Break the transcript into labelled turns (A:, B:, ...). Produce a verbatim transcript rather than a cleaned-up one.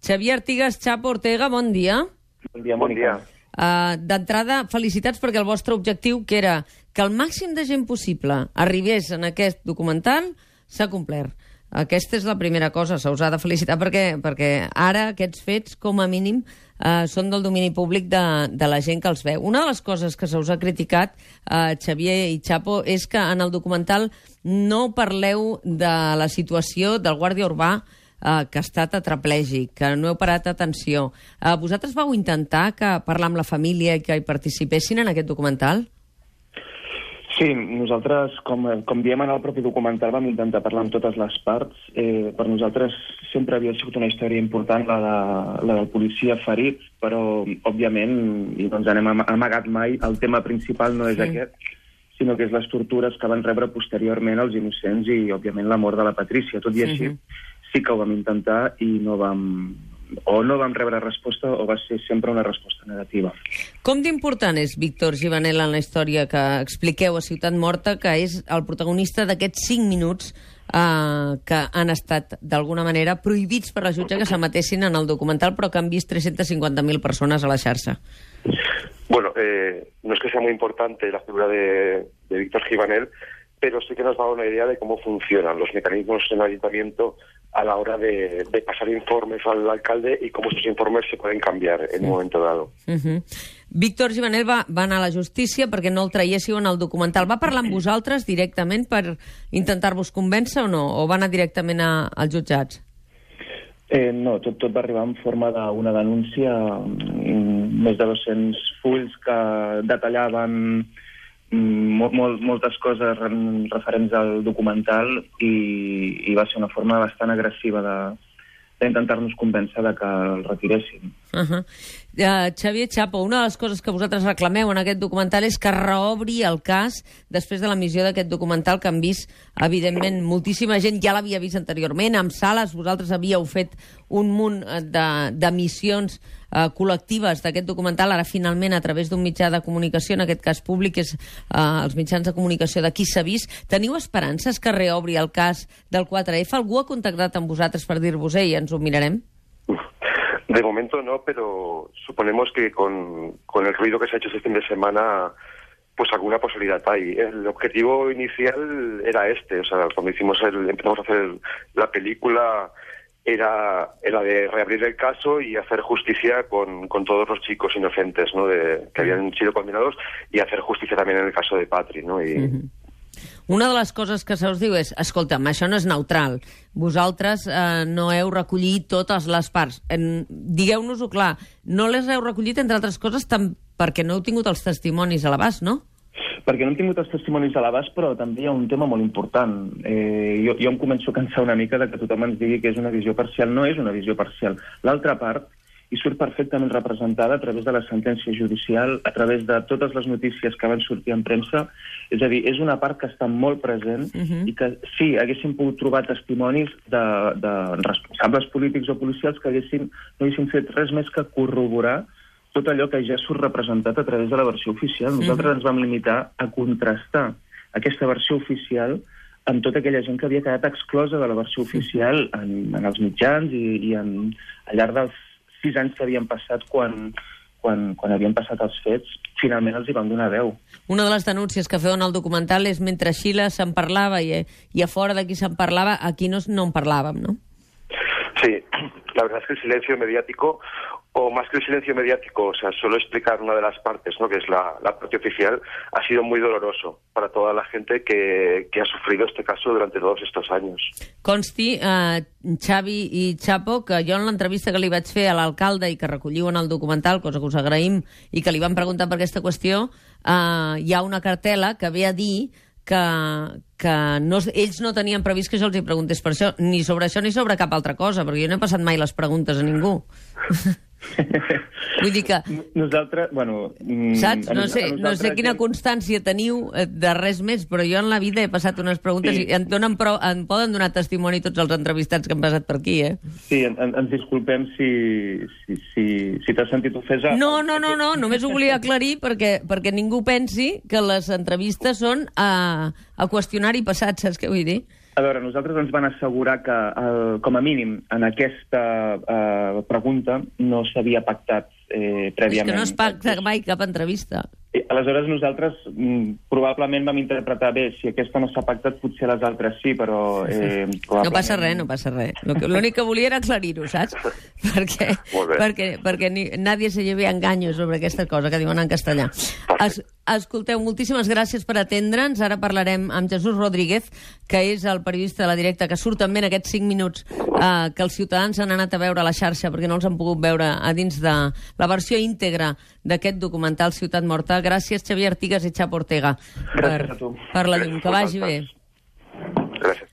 A: Xavier Artigas, Chapo Ortega, bon dia.
B: Bon dia, bon dia.
A: Uh, D'entrada, felicitats perquè el vostre objectiu, que era que el màxim de gent possible arribés en aquest documental, s'ha complert. Aquesta és la primera cosa, se us ha de felicitar perquè, perquè ara aquests fets, com a mínim, eh, són del domini públic de, de la gent que els veu. Una de les coses que se us ha criticat, eh, Xavier i Chapo, és que en el documental no parleu de la situació del guàrdia urbà eh, que ha estat tetraplègic, que no heu parat atenció. Eh, vosaltres vau intentar que parlar amb la família i que hi participessin en aquest documental?
B: Sí, nosaltres, com, com diem en el propi documental, vam intentar parlar amb totes les parts. Eh, per nosaltres sempre havia sigut una història important la, de, la del policia ferit, però, òbviament, i no ens anem amagat mai, el tema principal no és sí. aquest, sinó que és les tortures que van rebre posteriorment els innocents i, òbviament, la mort de la Patrícia. Tot i així, sí que ho vam intentar i no vam... o no vam rebre resposta o va ser sempre una resposta negativa.
A: Com d'important és Víctor Givanel en la història que expliqueu a Ciutat Morta, que és el protagonista d'aquests cinc minuts eh, que han estat, d'alguna manera, prohibits per la jutge que s'emetessin en el documental, però que han vist tres-centes cinquanta mil persones a la xarxa?
C: Bueno, eh, no es que sea muy importante la figura de, de Víctor Givanel, pero sí que nos da una idea de cómo funcionan los mecanismos en el ayuntamiento a la hora de, de pasar informes al alcalde y cómo esos informes se pueden cambiar en sí. un momento dado. Uh-huh.
A: Víctor Givanel va, va anar a la justícia perquè no el traiéssiu en el documental. Va parlar amb vosaltres directament per intentar-vos convèncer o no? O va anar directament a, als jutjats?
B: Eh, no, tot, tot va arribar en forma d'una denúncia, més de dos-cents fulls que detallaven Molt, molt, moltes coses referents al documental i, i va ser una forma bastant agressiva de, d'intentar-nos convèncer de que el retiréssim.
A: Uh-huh. Uh, Xavier, Chapo, una de les coses que vosaltres reclameu en aquest documental és que reobri el cas després de l'emissió d'aquest documental que han vist, evidentment, moltíssima gent ja l'havia vist anteriorment, amb sales, vosaltres havíeu fet un munt d'emissions de, uh, col·lectives d'aquest documental, ara finalment a través d'un mitjà de comunicació, en aquest cas públic, és uh, els mitjans de comunicació de qui s'ha vist. Teniu esperances que reobri el cas del quatre efa? Algú ha contactat amb vosaltres per dir-vos, ei, ens ho mirarem?
C: De momento no, pero suponemos que con, con el ruido que se ha hecho este fin de semana, pues alguna posibilidad hay. El objetivo inicial era este, o sea, cuando hicimos el, empezamos a hacer la película, era, era de reabrir el caso y hacer justicia con, con todos los chicos inocentes, ¿no?, de, que habían sido condenados, y hacer justicia también en el caso de Patri, ¿no? Y... Uh-huh.
A: Una de les coses que se us diu és, escolta'm, això no és neutral. Vosaltres eh, no heu recollit totes les parts. En, digueu-nos-ho clar, no les heu recollit, entre altres coses, tam, perquè no heu tingut els testimonis a l'abast, no?
B: Perquè no hem tingut els testimonis a l'abast, però també hi ha un tema molt important. Eh, jo, jo em començo a cansar una mica de que tothom ens digui que és una visió parcial. No és una visió parcial. L'altra part i surt perfectament representada a través de la sentència judicial, a través de totes les notícies que van sortir en premsa. És a dir, és una part que està molt present uh-huh. i que sí, haguéssim pogut trobar testimonis de, de responsables polítics o policials que haguessin, no haguessin fet res més que corroborar tot allò que ja surt representat a través de la versió oficial. Nosaltres uh-huh. ens vam limitar a contrastar aquesta versió oficial amb tota aquella gent que havia quedat exclosa de la versió oficial en, en els mitjans i, i en, al llarg dels sis anys que havien passat quan, quan, quan havien passat els fets, finalment els hi vam donar veu.
A: Una de les denúncies que feu en el documental és mentre a Xile se'n parlava i, i a fora d'aquí se'n parlava, aquí no, no en parlàvem, no?
C: Sí, la verdad es que el silencio mediático, o más que el silencio mediático, o sea, solo explicar una de las partes, ¿no?, que es la, la parte oficial, ha sido muy doloroso para toda la gente que, que ha sufrido este caso durante todos estos años.
A: Consti, eh, Xavi i Chapo, que jo en l'entrevista que li vaig fer a l'alcalde i que recolliu en el documental, cosa que us agraïm, i que li van preguntar per aquesta qüestió, eh, hi ha una cartel·la que ve a dir que, que no, ells no tenien previst que jo els hi preguntés per això, ni sobre això ni sobre cap altra cosa, perquè jo no he passat mai les preguntes a ningú. Vull dir que...
B: Nosaltres, bueno...
A: Saps? No sé, no sé quina constància teniu de res més, però jo en la vida he passat unes preguntes sí. i en, donen prou, en poden donar testimoni tots els entrevistats que han passat per aquí, eh?
B: Sí, en, ens disculpem si, si, si, si t'has sentit ofesa.
A: No, no, no, no, només ho volia aclarir perquè, perquè ningú pensi que les entrevistes són a, a qüestionari passat, saps què vull dir?
B: A veure, nosaltres ens van assegurar que, el, com a mínim, en aquesta eh, pregunta no s'havia pactat eh, prèviament.
A: És que no es pacta mai cap entrevista.
B: Aleshores, nosaltres mm, probablement vam interpretar bé, si aquesta no s'ha pactat, potser les altres sí, però... Eh,
A: probablement... No passa res, no passa res. L'únic que volia era aclarir-ho, saps? perquè perquè, perquè ni, nadie se lleve enganyo sobre aquesta cosa que diuen en castellà. Es, escolteu, moltíssimes gràcies per atendre'ns. Ara parlarem amb Jesús Rodríguez, que és el periodista de La Directa, que surt també en aquests cinc minuts eh, que els ciutadans han anat a veure a la xarxa perquè no els han pogut veure a dins de la versió íntegra d'aquest documental Ciutat Morta. Gràcies, Xavier Artigas i Chapo Ortega, per, per la llum. Que vagi bé.
C: Gràcies.